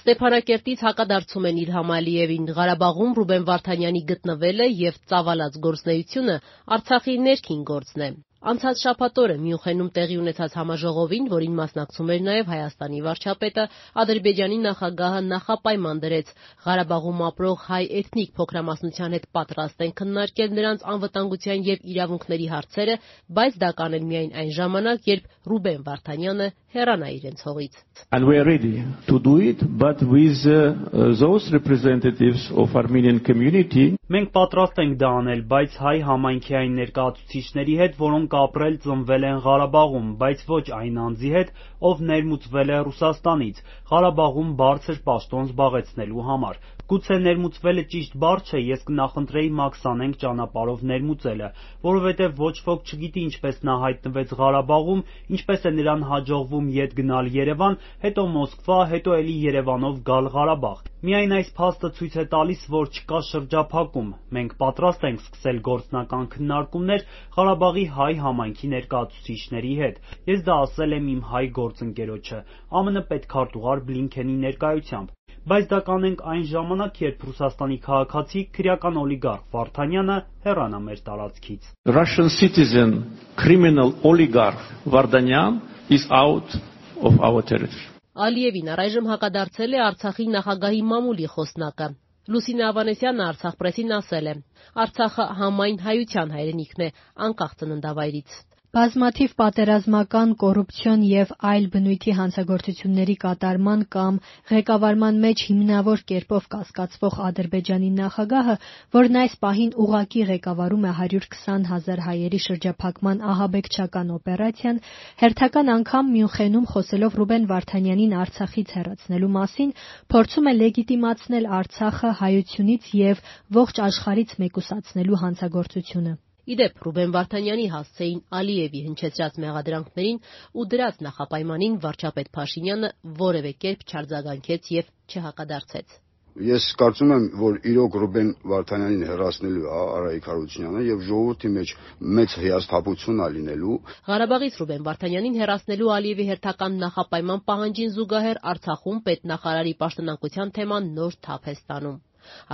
Ստեփանակերտից հակադարձում են Իլհամ Ալիևին, Ղարաբաղում Ռուբեն Վարդանյանի գտնվելը եւ ծավալած գործունեությունը Արցախի ներքին գործն է։ Անցած շաբաթ օրը Մյունխենում տեղի ունեցած համաժողովին, որին մասնակցում էր նաև Հայաստանի վարչապետը, Ադրբեջանի նախագահը նախապայման դրեց Ղարաբաղում ապրող հայ էթնիկ փոքրամասնության հետ պատրաստ են քննարկել նրանց անվտանգության եւ իրավունքների հարցերը, բայց դա կանեն միայն այն ժամանակ, երբ Ռուբեն Վարդանյանը հեռանա իրենց հողից։ And we are ready to do it, but with those representatives of Armenian community. Մենք պատրաստ ենք դա անել, բայց հայ համայնքի այն ներկայացուցիչների հետ, որոնք ապրել ծնվել են Ղարաբաղում, բայց ոչ այն անձի հետ, ով ներմուծվել է Ռուսաստանից, Ղարաբաղում բարձր պաշտոն զբաղեցնելու համար։ Գուցե ներմուծվելը ճիշտ բառ չէ, ես կնախընտրեի Մաքս անենք ճանապարհով ներմուծելը, որովհետև ոչ ոք չգիտի ինչպես նա հայտնվեց Ղարաբաղում, ինչպես է նրան հաջողվում ետ գնալ Երևան, հետո Մոսկվա, հետո էլի Երևանով գալ Ղարաբաղ։ Միայն այս փաստը ցույց է տալիս, որ չկա շրջափակում։ Մենք պատրաստ ենք սկսել գործնական քննարկումներ Ղարաբաղի հայ համայնքի ներկայացուցիչների հետ։ Ես դա ասել եմ իմ հայ գործընկերոջը, ԱՄՆ պետքարտուղար Բլինքենի ներկայությամբ։ Բայց դա կանենք այն ժամանակ, երբ Ռուսաստանի քաղաքացի քրեական օլիգարխ Վարդանյանը հեռանա մեր տարածքից։ Russian citizen criminal oligarch Vardanyan is out of our territory. Ալիևին առայժմ հակադարձել է Արցախի նախագահի մամուլի խոսնակը։ Լուսինե Ավանեսյանը Արցախ պրեսին ասել է. Արցախը համայն հայության հայրենիքն է, անկախ ծննդավայրից։ Բազմաթիվ պատերազմական, կոռուպցիոն եւ այլ բնույթի հանցագործությունների կատարման կամ ղեկավարման մեջ հիմնավոր կերպով կասկածվող Ադրբեջանի նախագահը, որն այս պահին ուղղակի ղեկավարում է 120,000 հայերի շրջափակման ահաբեկչական օպերացիան, հերթական անգամ Մյունխենում խոսելով Ռուբեն Վարդանյանին Արցախից հեռացնելու մասին, փորձում է լեգիտիմացնել Արցախը հայությունից եւ ողջ աշխարհից մեկուսացնելու հանցագործությունը։ Իդեպ Ռուբեն Վարդանյանի հասցեին Ալիևի հնչեցրած մեղադրանքներին ու դրած նախապայմանին վարչապետ Փաշինյանը որևէ կերպ չարձագանքեց եւ չհակադարձեց։ Ես կարծում եմ, որ իրոք Ռուբեն Վարդանյանին հեռացնելու Արայիկ Հարությունյանը եւ ժողովրդի մեջ մեծ հիասթափություն ա լինելու։ Ղարաբաղից Ռուբեն Վարդանյանին հեռացնելու Ալիևի հերթական նախապայման պահանջին զուգահեռ Արցախում պետնախարարի պաշտոնակության թեման նոր թափ է ստանում։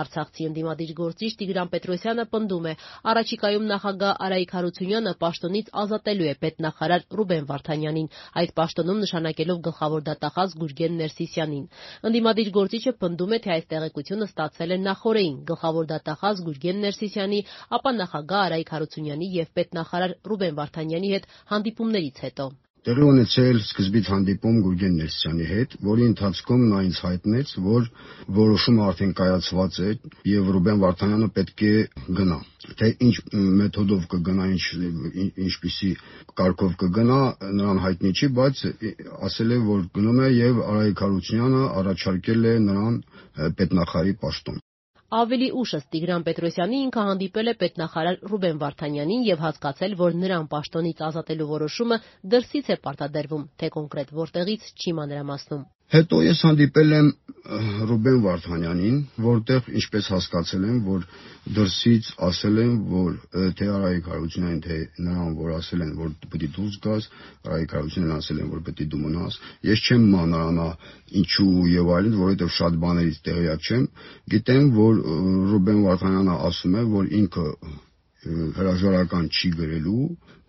Արցախցի ընդդիմադիր գործիչ Տիգրան Պետրոսյանը պնդում է, առաջիկայում նախագահ Արայիկ Հարությունյանը պաշտոնից ազատելու է պետնախարար Ռուբեն Վարդանյանին, այդ պաշտոնում նշանակելով գլխավոր դատախազ Գուրգեն Ներսիսյանին։ Ընդդիմադիր գործիչը պնդում է, թե այս տեղեկությունը ստացել է նախօրեին գլխավոր դատախազ Գուրգեն Ներսիսյանի, ապա նախագահ Արայիկ Հարությունյանի եւ պետնախարար Ռուբեն Վարդանյանի հետ հանդիպումներից հետո։ Տեղի ունեցել սկզբից հանդիպում Գուրգեն Ներսիսյանի հետ, որի ընթացքում նա ինձ հայտնեց, որ որոշումը արդեն կայացված է եւ Ռուբեն Վարդանյանը պետք է գնա։ Թե ինչ մեթոդով կգնա, ինչպիսի կարգով կգնա, նրան հայտնի չի, բայց ասել է, որ գնում է եւ Արայիկ Հարությունյանը առաջարկել է նրան պետնախարարի պաշտոն։ Ավելի ուշ Տիգրան Պետրոսյանի ինքը հանդիպել է պետնախարար Ռուբեն Վարդանյանին եւ հասկացել, որ նրան պաշտոնից ազատելու որոշումը դրսից է պարտադրվում, թե կոնկրետ որտեղից չի մանրամասնում։ Հետո ես հանդիպել եմ Ռուբեն Վարդանյանին, որտեղ ինչպես հասկացել եմ, որ դրսից ասել են, որ թե Արայիկ Հարությունյանին, թե նրան, որ ասել են, որ պետք է դուրս գաս, Արայիկ Հարությունյանին ասել են, որ պետք է դու մնաս։ Ես չեմ մանրանա ինչու եւ այլն, որովհետեւ շատ բաներից տեղյակ չեմ։ Գիտեմ, որ Ռուբեն Վարդանյանը ասում է, որ ինքը հրաժարական չի գրելու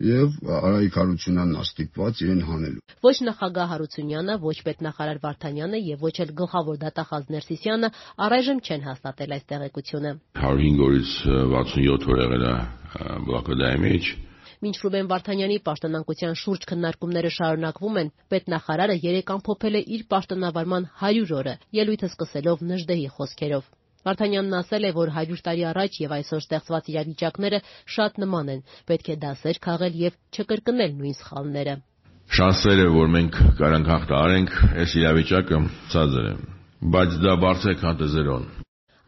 եւ Արայիկ Հարությունյանն աստիպված իրեն հանելու։ Ոչ նախագահ Հարությունյանը, ոչ պետնախարար Վարդանյանը եւ ոչ էլ գլխավոր դատախազ Ներսիսյանը առայժմ չեն հաստատել այս տեղեկությունը։ 105 օրից 67 օր եղել է բլոկադայի մեջ։ Մինչ Ռուբեն Վարդանյանի պաշտոնանկության շուրջ քննարկումները շարունակվում են, պետնախարարը երեկ ամփոփել է իր պաշտոնավարման 100 օրը, ելույթը սկսելով Նժդեհի խոսքերով։ Վարդանյանն ասել է, որ 100 տարի առաջ եւ այսօր ստեղծված իրավիճակները շատ նման են, պետք է դասեր քաղել եւ չկրկնել նույն սխալները։ Շանսերը, որ մենք կարանք հաղթահարենք, այս իրավիճակը ցածր է, բայց դա բարձր է, քան 0։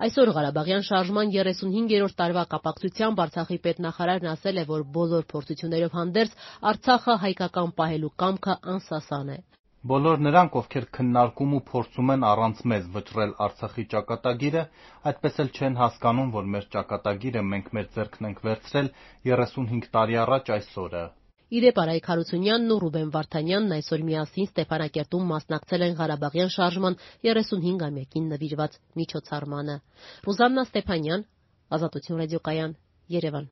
Այսօր Ղարաբաղյան շարժման 35-րդ տարվա կապակցությամբ Արցախի պետնախարարն ասել է, որ բոլոր փորձություններով հանդերձ Արցախը հայկական պահելու կամքը անսասան է։ Բոլոր նրանք, ովքեր քննարկում ու փորձում են առանց մեզ վճռել Արցախի ճակատագիրը, այդպես էլ չեն հասկանում, որ մեր ճակատագիրը մենք մեր ձեռքն ենք վերցրել 35 տարի առաջ այս օրը։ Իդեպ Արայք Հարությունյանն ու Ռուբեն Վարդանյանն այսօր միասին Ստեփանակերտում մասնակցել են Ղարաբաղյան շարժման 35-ամյակին նվիրված միջոցառմանը։ Ռուզաննա Ստեփանյան, Ազատություն ռադիոկայան, Երևան։